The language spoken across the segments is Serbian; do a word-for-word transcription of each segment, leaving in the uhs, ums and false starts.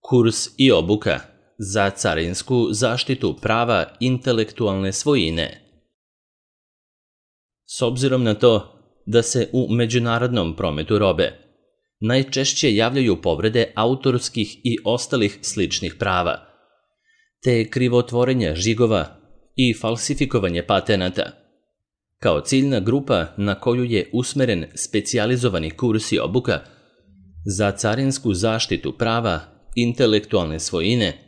Kurs i obuka za carinsku zaštitu prava intelektualne svojine. S obzirom na to da se u međunarodnom prometu robe najčešće javljaju povrede autorskih i ostalih sličnih prava, te krivotvorenja žigova i falsifikovanje patenata, kao ciljna grupa na koju je usmeren specijalizovani kurs i obuka za carinsku zaštitu prava intelektualne svojine,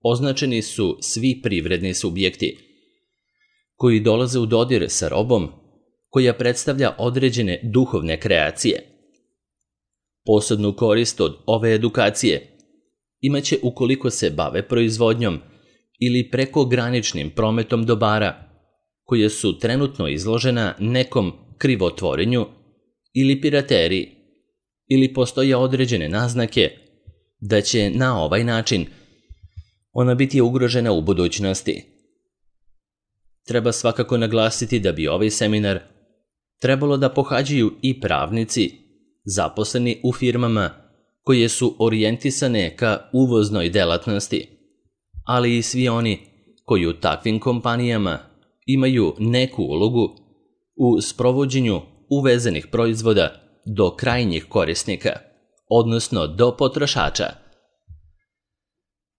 označeni su svi privredni subjekti koji dolaze u dodir sa robom koja predstavlja određene duhovne kreacije. Posebnu korist od ove edukacije imaće ukoliko se bave proizvodnjom ili prekograničnim prometom dobara koje su trenutno izložena nekom krivotvorenju ili pirateriji, ili postoje određene naznake da će na ovaj način ona biti ugrožena u budućnosti. Treba svakako naglasiti da bi ovaj seminar trebalo da pohađaju i pravnici zaposleni u firmama koje su orijentisane ka uvoznoj delatnosti, ali i svi oni koji u takvim kompanijama imaju neku ulogu u sprovođenju uvezenih proizvoda do krajnjih korisnika, odnosno do potrošača.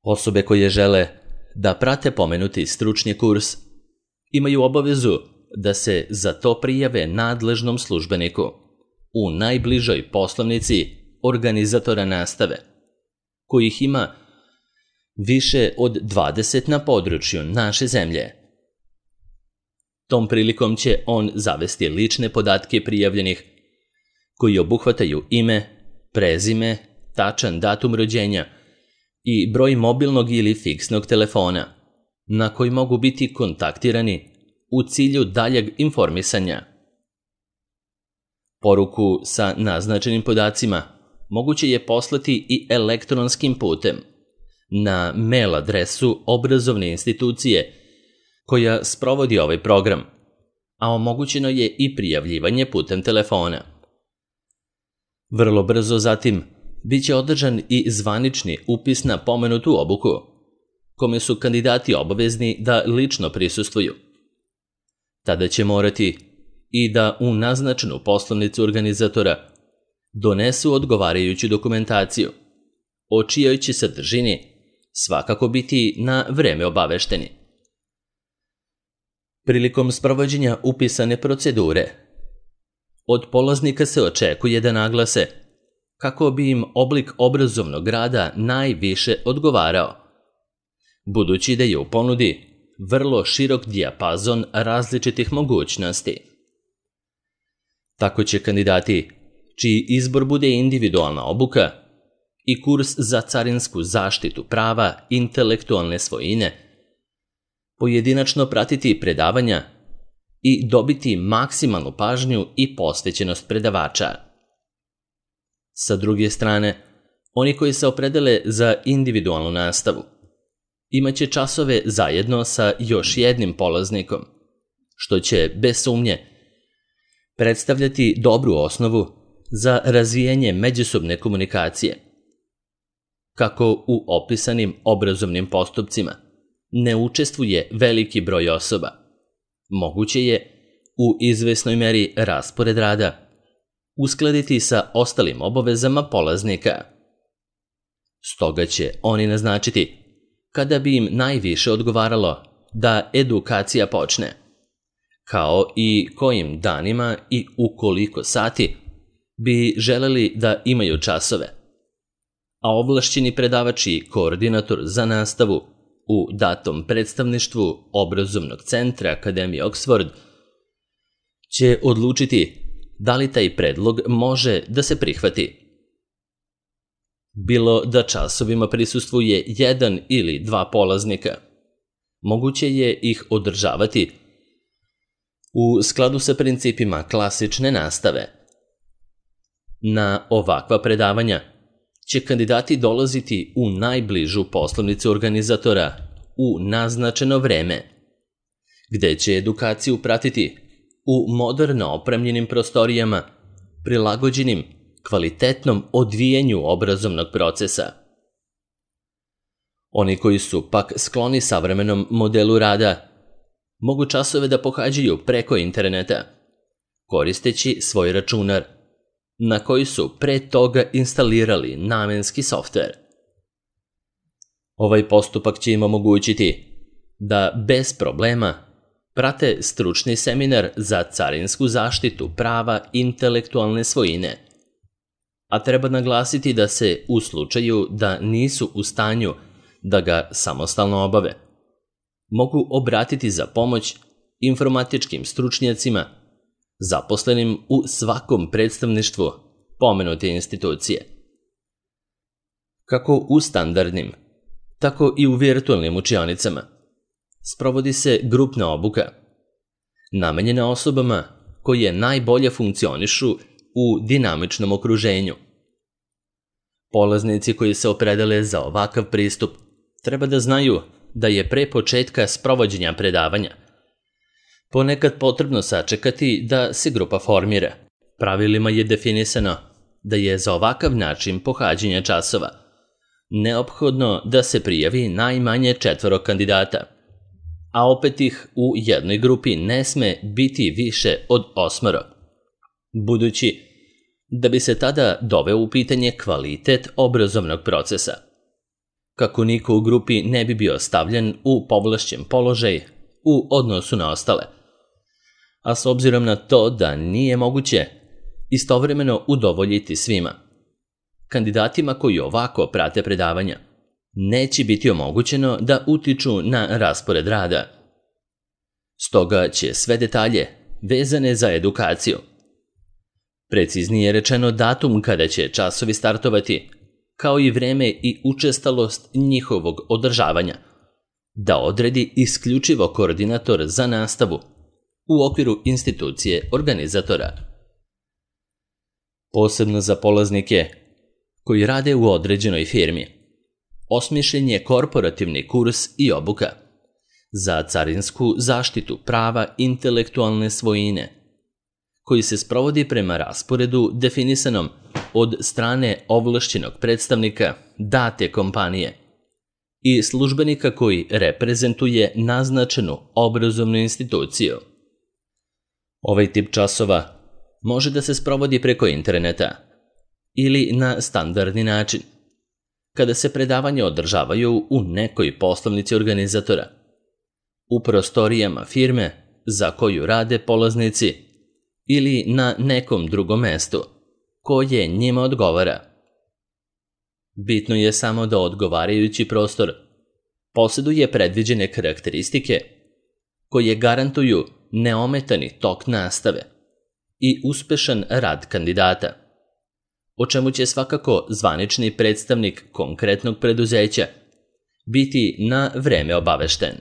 Osobe koje žele da prate pomenuti stručni kurs imaju obavezu da se za to prijave nadležnom službeniku u najbližoj poslovnici organizatora nastave, kojih ima više od dvadeset na području naše zemlje. Tom prilikom će on zavesti lične podatke prijavljenih koji obuhvataju ime, prezime, tačan datum rođenja i broj mobilnog ili fiksnog telefona na koji mogu biti kontaktirani u cilju daljeg informisanja. Poruku sa naznačenim podacima moguće je poslati i elektronskim putem na mail adresu obrazovne institucije koja sprovodi ovaj program, a omogućeno je i prijavljivanje putem telefona. Vrlo brzo zatim biće održan i zvanični upis na pomenutu obuku, kome su kandidati obavezni da lično prisustvuju. Tada će morati i da u naznačenu poslovnicu organizatora donesu odgovarajuću dokumentaciju, o čijoj će sadržini svakako biti na vreme obavešteni. Prilikom sprovođenja upisane procedure, od polaznika se očekuje da naglase kako bi im oblik obrazovnog rada najviše odgovarao, budući da je u ponudi vrlo širok dijapazon različitih mogućnosti. Tako će kandidati, čiji izbor bude individualna obuka i kurs za carinsku zaštitu prava intelektualne svojine, pojedinačno pratiti predavanja i dobiti maksimalnu pažnju i posvećenost predavača. Sa druge strane, oni koji se opredele za individualnu nastavu imaće časove zajedno sa još jednim polaznikom, što će, bez sumnje, predstavljati dobru osnovu za razvijanje međusobne komunikacije. Kako u opisanim obrazovnim postupcima ne učestvuje veliki broj osoba, moguće je u izvesnoj meri raspored rada uskladiti sa ostalim obavezama polaznika. Stoga će oni naznačiti kada bi im najviše odgovaralo da edukacija počne, kao i kojim danima i u koliko sati bi želeli da imaju časove, a ovlašćeni predavač i koordinator za nastavu u datom predstavništvu obrazovnog centra Akademije Oxford će odlučiti da li taj predlog može da se prihvati. Bilo da časovima prisustvuje jedan ili dva polaznika, moguće je ih održavati u skladu sa principima klasične nastave. Na ovakva predavanja će kandidati dolaziti u najbližu poslovnicu organizatora u naznačeno vreme, gde će edukaciju pratiti u moderno opremljenim prostorijama, prilagođenim kvalitetnom odvijenju obrazovnog procesa. Oni koji su pak skloni savremenom modelu rada mogu časove da pohađaju preko interneta, koristeći svoj računar, na koji su pre toga instalirali namenski softver. Ovaj postupak će im omogućiti da bez problema prate stručni seminar za carinsku zaštitu prava intelektualne svojine, a treba naglasiti da se u slučaju da nisu u stanju da ga samostalno obave, mogu obratiti za pomoć informatičkim stručnjacima zaposlenim u svakom predstavništvu pomenute institucije. Kako u standardnim, tako i u virtualnim učionicama sprovodi se grupna obuka, namenjena osobama koje najbolje funkcionišu u dinamičnom okruženju. Polaznici koji se opredele za ovakav pristup treba da znaju da je pre početka sprovođenja predavanja ponekad potrebno sačekati da se grupa formira. Pravilima je definisano da je za ovakav način pohađanja časova neophodno da se prijavi najmanje četvoro kandidata, a opet ih u jednoj grupi ne sme biti više od osmoro, budući da bi se tada doveo u pitanje kvalitet obrazovnog procesa. Kako niko u grupi ne bi bio stavljen u povlašćen položaj u odnosu na ostale, a s obzirom na to da nije moguće istovremeno udovoljiti svima, kandidatima koji ovako prate predavanja neće biti omogućeno da utiču na raspored rada. Stoga će sve detalje vezane za edukaciju, preciznije rečeno datum kada će časovi startovati, kao i vreme i učestalost njihovog održavanja, da odredi isključivo koordinator za nastavu u okviru institucije organizatora. Posebno za polaznike koji rade u određenoj firmi, osmišljen je korporativni kurs i obuka za carinsku zaštitu prava intelektualne svojine, koji se sprovodi prema rasporedu definisanom od strane ovlašćenog predstavnika date kompanije i službenika koji reprezentuje naznačenu obrazovnu instituciju. Ovaj tip časova može da se sprovodi preko interneta ili na standardni način, kada se predavanja održavaju u nekoj poslovnici organizatora, u prostorijama firme za koju rade polaznici ili na nekom drugom mestu koje njima odgovara. Bitno je samo da odgovarajući prostor posjeduje predviđene karakteristike koje garantuju neometani tok nastave i uspešan rad kandidata, o čemu će svakako zvanični predstavnik konkretnog preduzeća biti na vreme obavešten.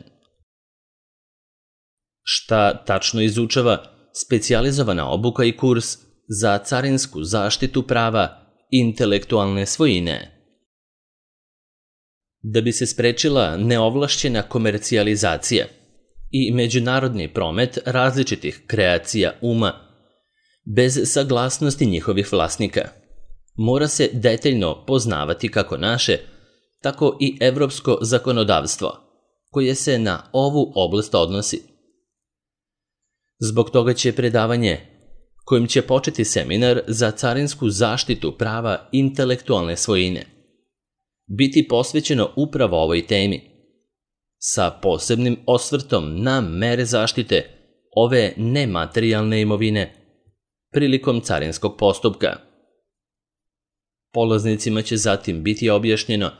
Šta tačno izučava specijalizovana obuka i kurs za carinsku zaštitu prava intelektualne svojine? Da bi se sprečila neovlašćena komercijalizacija i međunarodni promet različitih kreacija uma bez saglasnosti njihovih vlasnika, mora se detaljno poznavati kako naše, tako i evropsko zakonodavstvo, koje se na ovu oblast odnosi. Zbog toga će predavanje, kojim će početi seminar za carinsku zaštitu prava intelektualne svojine, biti posvećeno upravo ovoj temi, sa posebnim osvrtom na mere zaštite ove nematerijalne imovine prilikom carinskog postupka. Polaznicima će zatim biti objašnjeno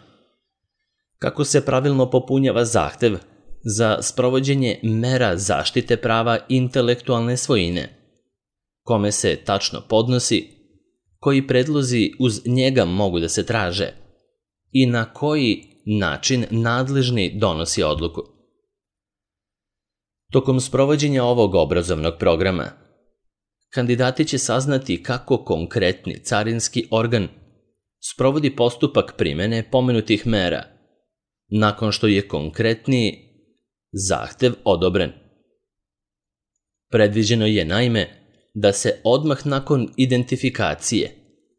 kako se pravilno popunjava zahtev za sprovođenje mera zaštite prava intelektualne svojine, kome se tačno podnosi, koji predlozi uz njega mogu da se traže i na koji način nadležni donosi odluku. Tokom sprovođenja ovog obrazovnog programa, kandidati će saznati kako konkretni carinski organ sprovodi postupak primene pomenutih mera, nakon što je konkretni zahtev odobren. Predviđeno je naime da se odmah nakon identifikacije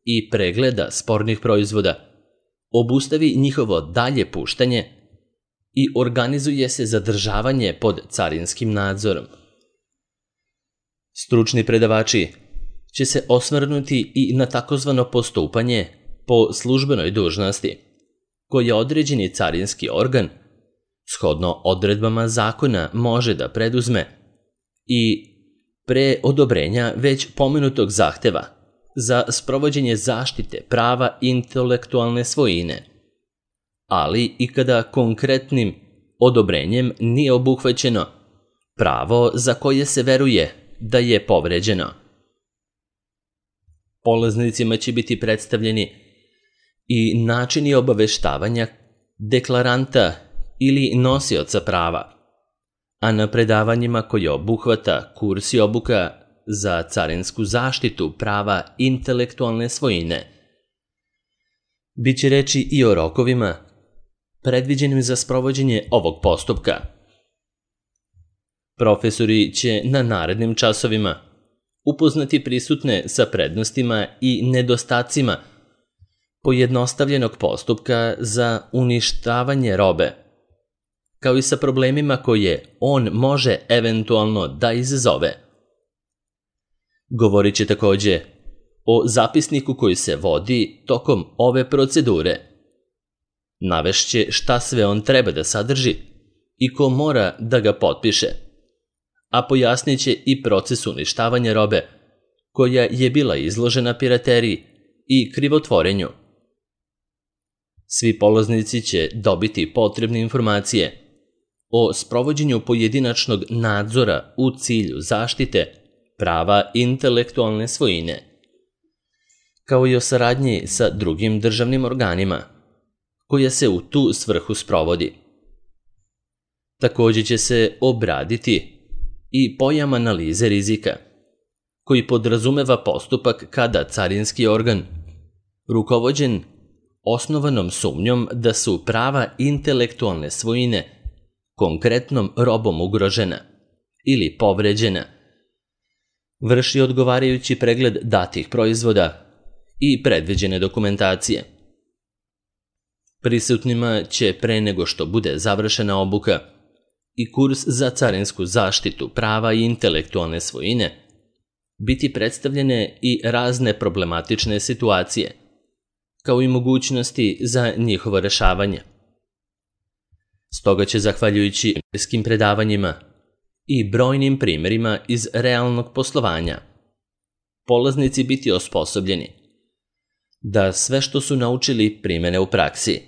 i pregleda spornih proizvoda obustavi njihovo dalje puštanje i organizuje se zadržavanje pod carinskim nadzorom. Stručni predavači će se osvrnuti i na takozvano postupanje po službenoj dužnosti, koje određeni carinski organ, shodno odredbama zakona, može da preduzme i pre odobrenja već pomenutog zahteva za sprovođenje zaštite prava intelektualne svojine, ali i kada konkretnim odobrenjem nije obuhvaćeno pravo za koje se veruje da je povređeno. Polaznicima će biti predstavljeni i načini obaveštavanja deklaranta ili nosioca prava, a na predavanjima koje obuhvata kurs i obuka za carinsku zaštitu prava intelektualne svojine biće reči i o rokovima predviđenim za sprovođenje ovog postupka. Profesori će na narednim časovima upoznati prisutne sa prednostima i nedostacima pojednostavljenog postupka za uništavanje robe, kao i sa problemima koje on može eventualno da izazove. Govorit će takođe o zapisniku koji se vodi tokom ove procedure. Navešće šta sve on treba da sadrži i ko mora da ga potpiše, a pojasnit će i proces uništavanja robe koja je bila izložena pirateriji i krivotvorenju. Svi polaznici će dobiti potrebne informacije o sprovođenju pojedinačnog nadzora u cilju zaštite prava intelektualne svojine, kao i o saradnji sa drugim državnim organima, koja se u tu svrhu sprovodi. Takođe će se obraditi i pojam analize rizika, koji podrazumeva postupak kada carinski organ, rukovođen osnovanom sumnjom da su prava intelektualne svojine konkretnom robom ugrožena ili povređena, vrši odgovarajući pregled datih proizvoda i predviđene dokumentacije. Prisutnima će pre nego što bude završena obuka i kurs za carinsku zaštitu prava i intelektualne svojine biti predstavljene i razne problematične situacije, kao i mogućnosti za njihovo rešavanje. Stoga će, zahvaljujući empirijskim predavanjima i brojnim primerima iz realnog poslovanja, polaznici biti osposobljeni da sve što su naučili primene u praksi.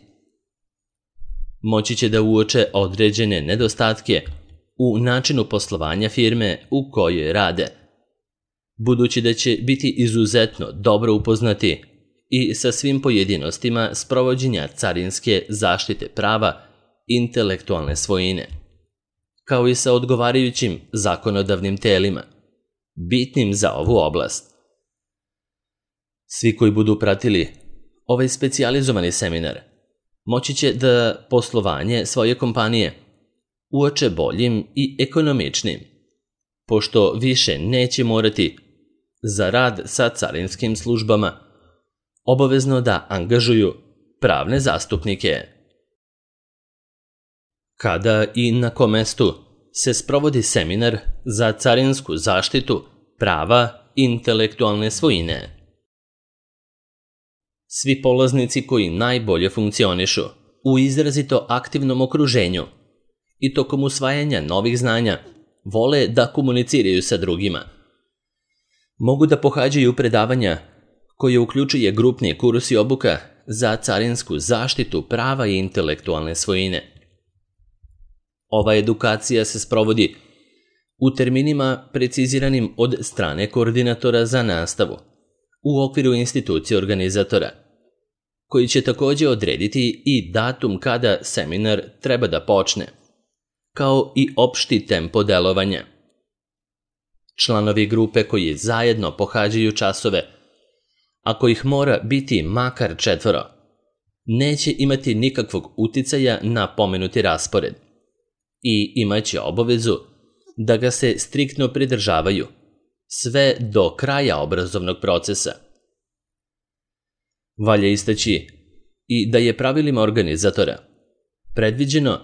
Moći će da uoče određene nedostatke u načinu poslovanja firme u kojoj rade, budući da će biti izuzetno dobro upoznati i sa svim pojedinostima sprovođenja carinske zaštite prava intelektualne svojine, kao i sa odgovarajućim zakonodavnim telima, bitnim za ovu oblast. Svi koji budu pratili ovaj specijalizovani seminar moći će da poslovanje svoje kompanije uoče boljim i ekonomičnim, pošto više neće morati za rad sa carinskim službama obavezno da angažuju pravne zastupnike. Kada i na kom mestu se sprovodi seminar za carinsku zaštitu prava intelektualne svojine? Svi polaznici koji najbolje funkcionišu u izrazito aktivnom okruženju i tokom usvajanja novih znanja vole da komuniciraju sa drugima, mogu da pohađaju predavanja koje uključuje grupni kurs i obuka za carinsku zaštitu prava i intelektualne svojine. Ova edukacija se sprovodi u terminima preciziranim od strane koordinatora za nastavu u okviru institucije organizatora, koji će takođe odrediti i datum kada seminar treba da počne, kao i opšti tempo delovanja. Članovi grupe koji zajedno pohađaju časove, ako ih mora biti makar četvoro, neće imati nikakvog uticaja na pomenuti raspored i imaće obavezu da ga se striktno pridržavaju sve do kraja obrazovnog procesa. Valja istaći i da je pravilima organizatora predviđeno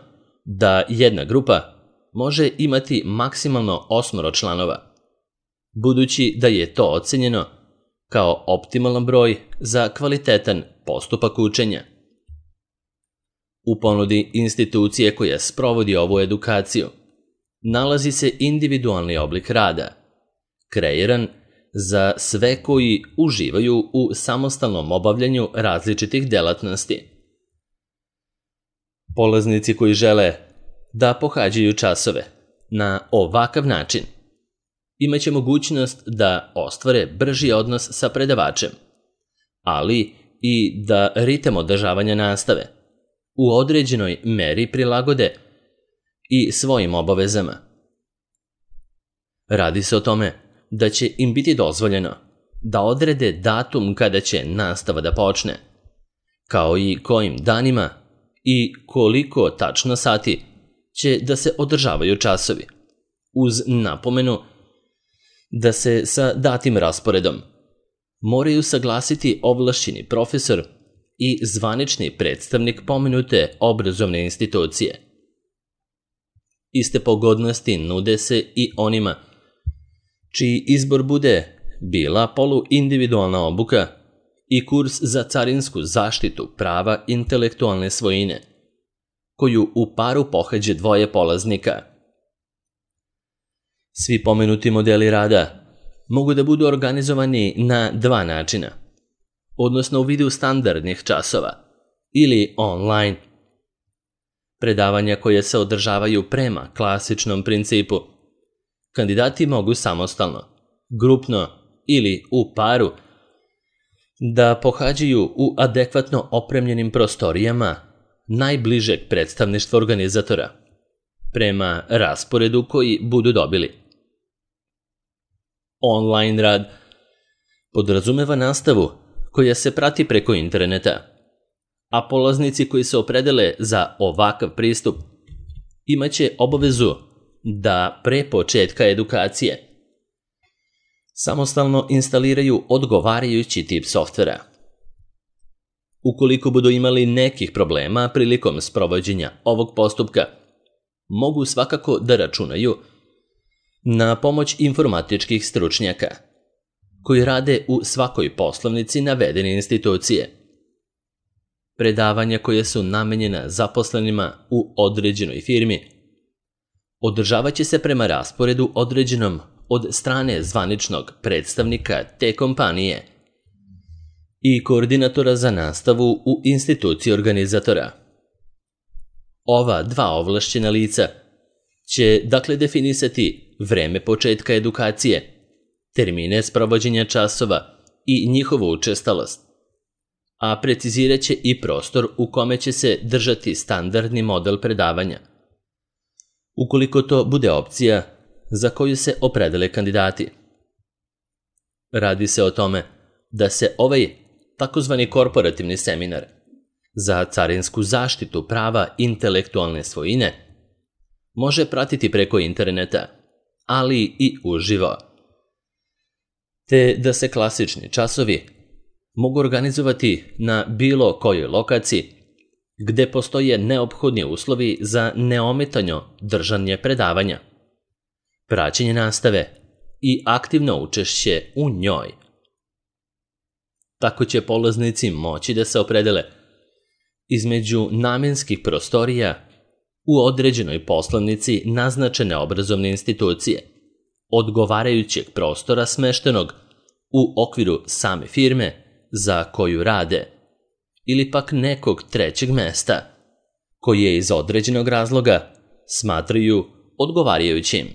da jedna grupa može imati maksimalno osmoro članova, budući da je to ocenjeno kao optimalan broj za kvalitetan postupak učenja. U ponudi institucije koja sprovodi ovu edukaciju nalazi se individualni oblik rada, kreiran za sve koji uživaju u samostalnom obavljanju različitih delatnosti. Polaznici koji žele da pohađaju časove na ovakav način imaće mogućnost da ostvare brži odnos sa predavačem, ali i da ritam održavanja nastave u određenoj meri prilagode i svojim obavezama. Radi se o tome da će im biti dozvoljeno da odrede datum kada će nastava da počne, kao i kojim danima i koliko tačno sati će da se održavaju časovi, uz napomenu da se sa datim rasporedom moraju saglasiti ovlašćeni profesor i zvanični predstavnik pomenute obrazovne institucije. Iste pogodnosti nude se i onima čiji izbor bude bila poluindividualna obuka i kurs za carinsku zaštitu prava intelektualne svojine, koju u paru pohađe dvoje polaznika. Svi pomenuti modeli rada mogu da budu organizovani na dva načina, odnosno u vidu standardnih časova ili online. Predavanja koje se održavaju prema klasičnom principu kandidati mogu samostalno, grupno ili u paru da pohađaju u adekvatno opremljenim prostorijama najbližeg predstavništva organizatora, prema rasporedu koji budu dobili. Online rad podrazumeva nastavu koja se prati preko interneta, a polaznici koji se opredele za ovakav pristup imaće obavezu da pre početka edukacije samostalno instaliraju odgovarajući tip softvera. Ukoliko budu imali nekih problema prilikom sprovođenja ovog postupka, mogu svakako da računaju na pomoć informatičkih stručnjaka koji rade u svakoj poslovnici navedene institucije. Predavanja koje su namenjena zaposlenima u određenoj firmi održavat će se prema rasporedu određenom od strane zvaničnog predstavnika te kompanije i koordinatora za nastavu u instituciji organizatora. Ova dva ovlašćena lica će dakle definisati vreme početka edukacije, termine sprovođenja časova i njihovu učestalost, a precizirat će i prostor u kome će se držati standardni model predavanja, ukoliko to bude opcija za koju se opredele kandidati. Radi se o tome da se ovaj takozvani korporativni seminar za carinsku zaštitu prava intelektualne svojine može pratiti preko interneta, ali i uživo, te da se klasični časovi mogu organizovati na bilo kojoj lokaciji gde postoje neophodni uslovi za neometano držanje predavanja, praćenje nastave i aktivno učešće u njoj. Tako će polaznici moći da se opredele između namenskih prostorija u određenoj poslovnici naznačene obrazovne institucije, odgovarajućeg prostora smeštenog u okviru same firme za koju rade, ili pak nekog trećeg mesta, koje iz određenog razloga smatraju odgovarajućim.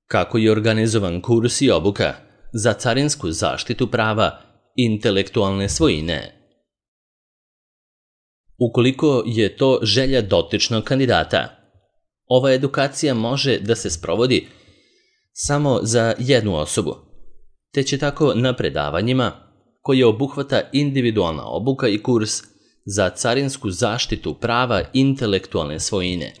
Kako je organizovan kurs i obuka za carinsku zaštitu prava intelektualne svojine? Ukoliko je to želja dotičnog kandidata, ova edukacija može da se sprovodi samo za jednu osobu, te će tako na predavanjima, koje obuhvata individualna obuka i kurs za carinsku zaštitu prava intelektualne svojine,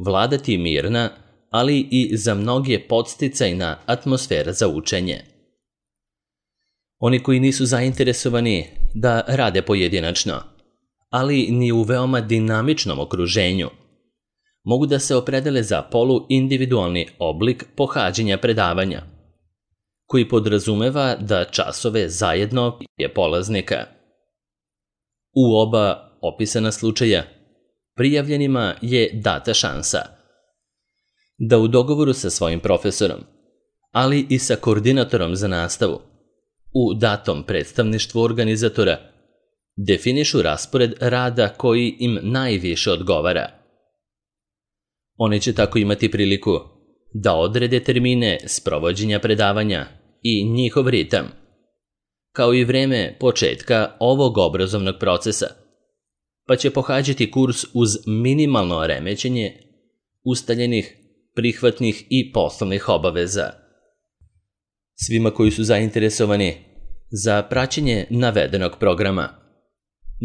vladati mirna, ali i za mnoge podsticajna atmosfera za učenje. Oni koji nisu zainteresovani da rade pojedinačno, ali ni u veoma dinamičnom okruženju, mogu da se opredele za poluindividualni oblik pohađanja predavanja, koji podrazumeva da časove zajedno je polaznika. U oba opisana slučaja prijavljenima je data šansa da u dogovoru sa svojim profesorom, ali i sa koordinatorom za nastavu, u datom predstavništvu organizatora, definišu raspored rada koji im najviše odgovara. Oni će tako imati priliku da odrede termine sprovođenja predavanja i njihov ritam, kao i vreme početka ovog obrazovnog procesa, pa će pohađati kurs uz minimalno remećenje ustaljenih, prihvatnih i poslovnih obaveza. Svima koji su zainteresovani za praćenje navedenog programa,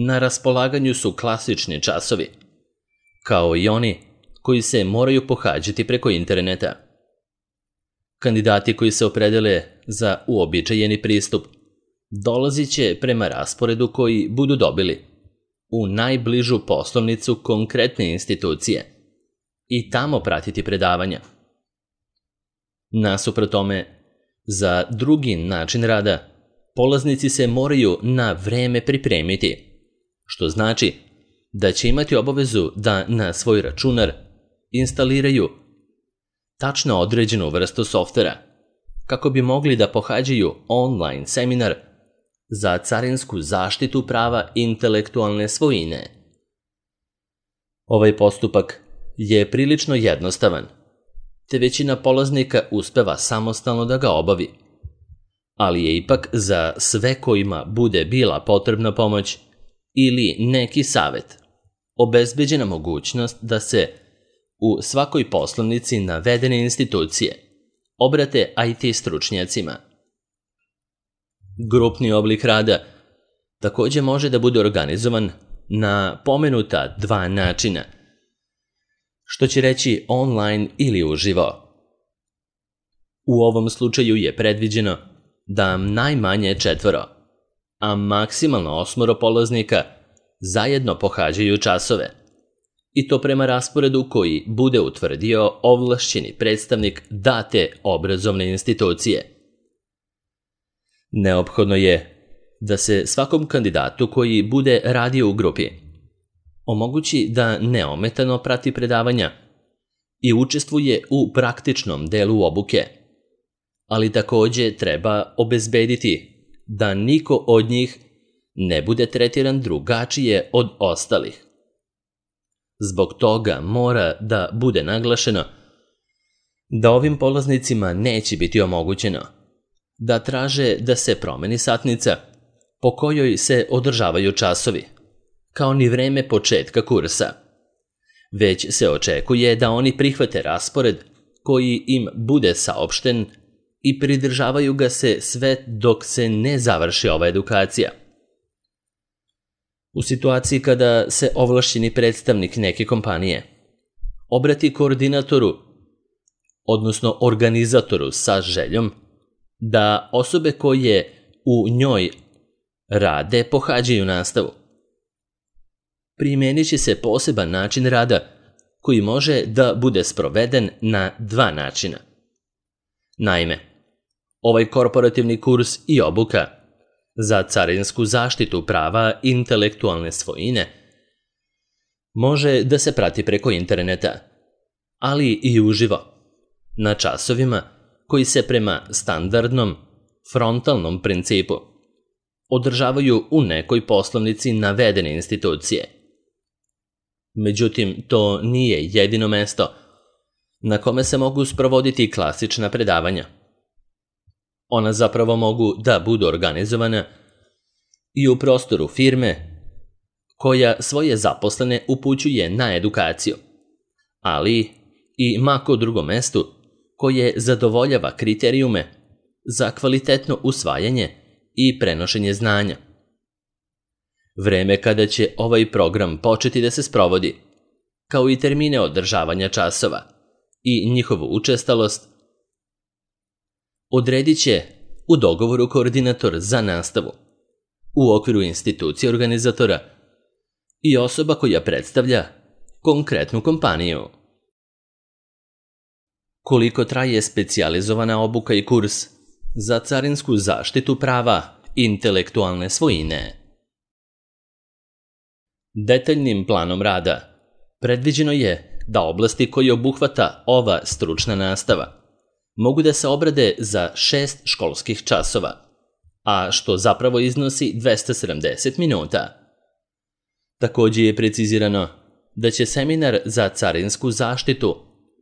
na raspolaganju su klasični časovi, kao i oni koji se moraju pohađati preko interneta. Kandidati koji se opredele za uobičajeni pristup dolazit će prema rasporedu koji budu dobili u najbližu poslovnicu konkretne institucije i tamo pratiti predavanja. Nasuprot tome, za drugi način rada, polaznici se moraju na vreme pripremiti, što znači da će imati obavezu da na svoj računar instaliraju tačno određenu vrstu softvera kako bi mogli da pohađaju online seminar za carinsku zaštitu prava intelektualne svojine. Ovaj postupak je prilično jednostavan, te većina polaznika uspeva samostalno da ga obavi, ali je ipak za sve kojima bude bila potrebna pomoć ili neki savet obezbeđena mogućnost da se u svakoj poslovnici navedene institucije obrate I T stručnjacima. Grupni oblik rada takođe može da bude organizovan na pomenuta dva načina, što će reći online ili uživo. U ovom slučaju je predviđeno da najmanje četvoro, a maksimalno osmoro polaznika zajedno pohađaju časove, i to prema rasporedu koji bude utvrdio ovlašćeni predstavnik date obrazovne institucije. Neophodno je da se svakom kandidatu koji bude radio u grupi omogući da neometano prati predavanja i učestvuje u praktičnom delu obuke, ali takođe treba obezbediti da niko od njih ne bude tretiran drugačije od ostalih. Zbog toga mora da bude naglašeno da ovim polaznicima neće biti omogućeno da traže da se promeni satnica po kojoj se održavaju časovi, kao ni vreme početka kursa, već se očekuje da oni prihvate raspored koji im bude saopšten i pridržavaju ga se sve dok se ne završi ova edukacija. U situaciji kada se ovlašćeni predstavnik neke kompanije obrati koordinatoru, odnosno organizatoru sa željom da osobe koje u njoj rade pohađaju nastavu, primenit će se poseban način rada koji može da bude sproveden na dva načina. Naime, ovaj korporativni kurs i obuka za carinsku zaštitu prava intelektualne svojine može da se prati preko interneta, ali i uživo, na časovima koji se prema standardnom frontalnom principu održavaju u nekoj poslovnici navedene institucije. Međutim, to nije jedino mesto na kome se mogu sprovoditi klasična predavanja. Ona zapravo mogu da budu organizovana i u prostoru firme koja svoje zaposlene upućuje na edukaciju, ali i mako drugom mestu koje zadovoljava kriterijume za kvalitetno usvajanje i prenošenje znanja. Vreme kada će ovaj program početi da se sprovodi, kao i termine održavanja časova i njihovu učestalost, odredit će u dogovoru koordinator za nastavu u okviru institucije organizatora, i osoba koja predstavlja konkretnu kompaniju. Koliko traje specijalizovana obuka i kurs za carinsku zaštitu prava intelektualne svojine? Detaljnim planom rada predviđeno je da oblasti koje obuhvata ova stručna nastava mogu da se obrade za šest školskih časova, a što zapravo iznosi dvesta sedamdeset minuta. Također je precizirano da će seminar za carinsku zaštitu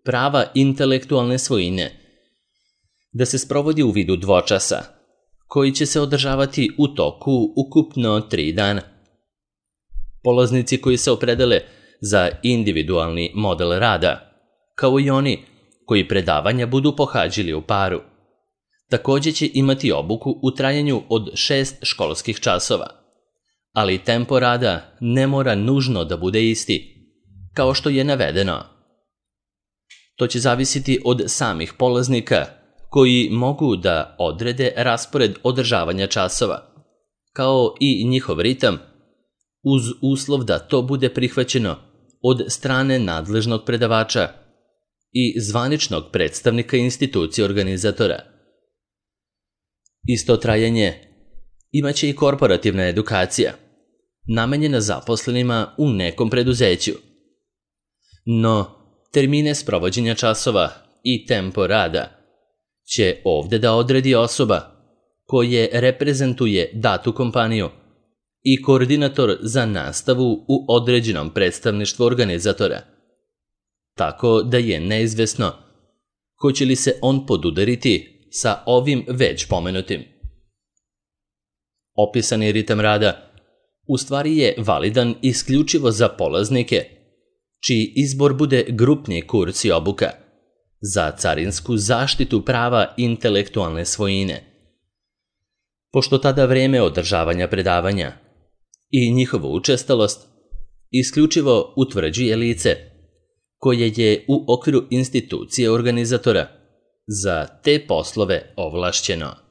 prava intelektualne svojine da se sprovodi u vidu dvočasa, koji će se održavati u toku ukupno tri dana. Polaznici koji se opredele za individualni model rada, kao i oni koji predavanja budu pohađali u paru, također će imati obuku u trajanju od šest školskih časova, ali tempo rada ne mora nužno da bude isti, kao što je navedeno. To će zavisiti od samih polaznika koji mogu da odrede raspored održavanja časova, kao i njihov ritam, uz uslov da to bude prihvaćeno od strane nadležnog predavača i zvaničnog predstavnika institucije organizatora. Isto trajanje imaće i korporativna edukacija, namenjena zaposlenima u nekom preduzeću. No, termine sprovođenja časova i tempo rada će ovdje da odredi osoba koje reprezentuje datu kompaniju i koordinator za nastavu u određenom predstavništvu organizatora, tako da je neizvesno hoće li se on podudariti sa ovim već pomenutim. Opisani ritam rada u stvari je validan isključivo za polaznike čiji izbor bude grupni kurs i obuka za carinsku zaštitu prava intelektualne svojine, pošto tada vreme održavanja predavanja i njihovu učestalost isključivo utvrđuje lice koje je u okviru institucije organizatora za te poslove ovlašćeno.